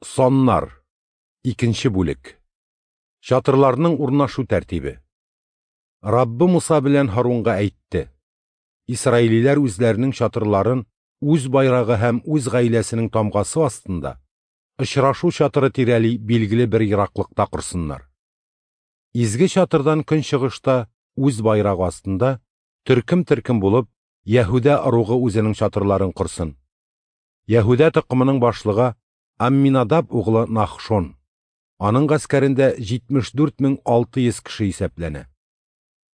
Саннар. Икенче бүлек. Чатырларның урнашу тәртибе. Раббы Муса белән Һарунга әйтте: Исраилиләр үзләренең чатырларын үз байрагы һәм үз гаиләсенең тамгасы астында очрашу чатыры тирәли билгеле бер ераклыкта корсыннар. Изге чатырдан көнчыгышта үз байрагы астында төркем-төркем булып Яһүдә ыругы үзенең чатырларын корсын. Яһүдә токымының башлыгы Амминадаб углы Нахшон. Аның гаскәрендә 74 600 кеше исәпләнә.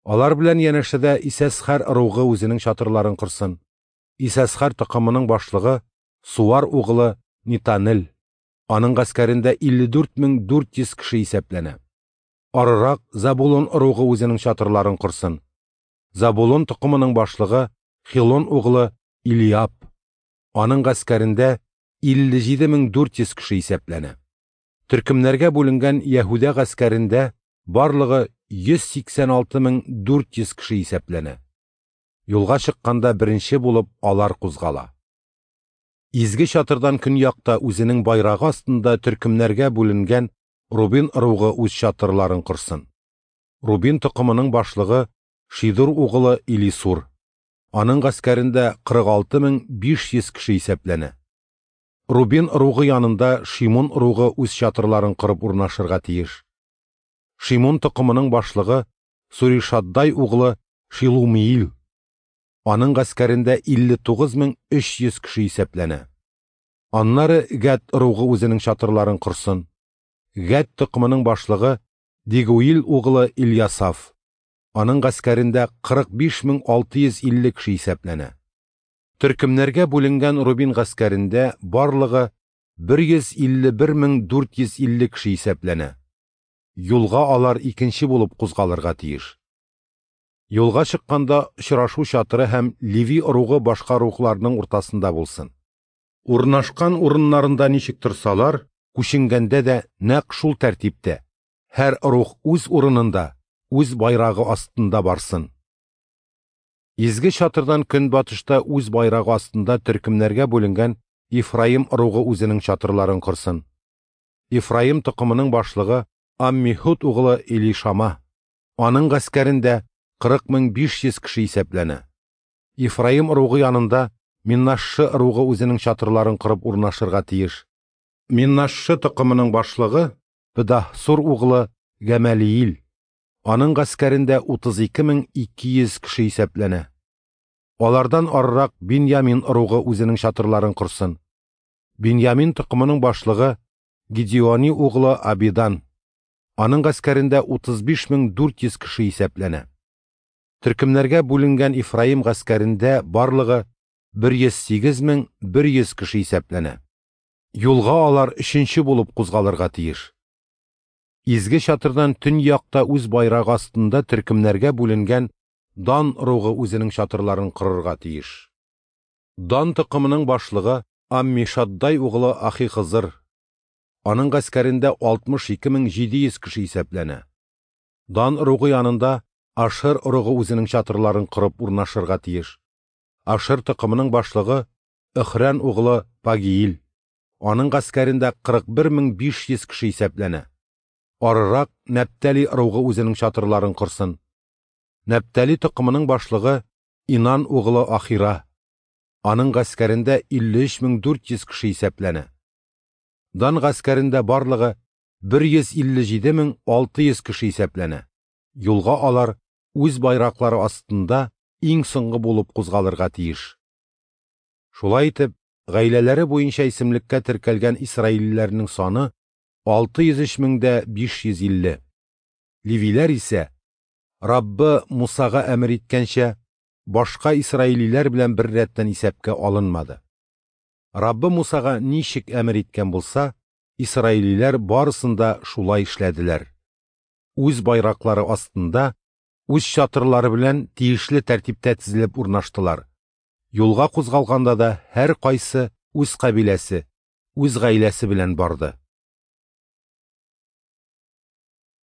Алар белән янәшәдә Исәсхәр ыругы үзенең чатырларын корсын. Исәсхәр токымының башлыгы Суар углы Нитанел. Аның гаскәрендә 54 400 кеше исәпләнә. Арырак Забулон ыругы үзенең чатырларын корсын. Забулон токымының башлыгы Хилон углы Илиаб. Аның гаскәрендә 57 400 кеше исәпләнә. Төркемнәргә бүленгән Яһүдә гаскәрендә барлыгы 186 400 кеше исәпләнә. Юлга чыкканда беренче булып алар кузгала. Изге чатырдан көньякта үзенең байрагы астында төркемнәргә бүленгән Рубин ыругы үз чатырларын корсын. Рубин токымының башлыгы Шидур углы Илисур. Аның гаскәрендә 46 500 кеше исәпләнә. Рубин ыругы янында Шимун ыругы үз чатырларын корып урнашырга тиеш. Шимун токымының башлыгы Суришаддай углы Шилумиил. Аның гаскәрендә 59 300 кеше исәпләнә. Аннары Гәд ыругы үзенең чатырларын корсын. Гәд токымының башлыгы Дигуил углы Ильясаф. Аның гаскәрендә 45 650 кеше исәпләнә. Төркемнәргә бүленгән Рубин гаскәрендә барлыгы 151 450 кеше исәпләнә. Юлга алар икенче булып кузгалырга тиеш. Юлга чыкканда очрашу чатыры һәм Леви ыругы башка ыругларның уртасында булсын. Урнашкан урыннарында ничек торсалар, күченгәндә дә нәкъ шул тәртиптә, һәр ыруг үз урынында, үз байрагы астында барсын. Изге чатырдан көнбатышта үз байрагы астында төркемнәргә бүленгән Ифраим ыругы үзенең чатырларын корсын. Ифраим токымының башлыгы Аммихуд углы Элишама. Аның гаскәрендә 40 500 кеше исәпләнә. Ифраим ыругы янында Миннашшы ыругы үзенең чатырларын корып урнашырга тиеш. Миннашшы токымының башлыгы Педаһсур углы Гәмәлиил. Аның гаскәрендә 32 200 кеше исәпләнә. Алардан арырак Биньямин ыругы үзенең чатырларын корсын. Биньямин токымының башлыгы Гидеони углы Абидан. Аның гаскәрендә 35 400 кеше исәпләнә. Төркемнәргә бүленгән Ифраим гаскәрендә барлыгы 108 100 кеше исәпләнә. Юлга алар өченче булып кузгалырга тиеш. Изге чатырдан төньякта үз байрагы астында төркемнәргә бүленгән Дан ыругы үзенең чатырларын корырга тиеш. Дан токымының башлыгы Аммишаддай углы Ахихызыр. Аның гаскәрендә 62 700 кеше исәпләнә. Дан ыругы янында Ашер ыругы үзенең чатырларын корып урнашырга тиеш. Ашер токымының башлыгы Өхрән углы Пагиил. Аның гаскәрендә 41 500 кеше исәпләнә. Арырак Нәптали ыругы үзенең чатырларын корсын. Нәптали токымының башлыгы Инан углы Ахира. Аның гаскәрендә 53 400 кеше исәпләнә. Дан гаскәрендә барлыгы 157 600 кеше исәпләнә. Юлга алар үз байраклары астында иң соңгы булып кузгалырга тиеш. Шулай итеп, гаиләләре буенча исемлеккә теркәлгән исраилиләрнең саны 603 550. Левиләр исә, Раббы Мусага әмер иткәнчә, башка исраилиләр белән бер рәттән исәпкә алынмады. Раббы Мусага ничек әмер иткән булса, исраилиләр барысын да шулай эшләделәр. Үз байраклары астында, үз чатырлары белән тиешле тәртиптә тезелеп урнаштылар. Юлга кузгалганда да һәр кайсы үз кабиләсе, үз гаиләсе белән барды.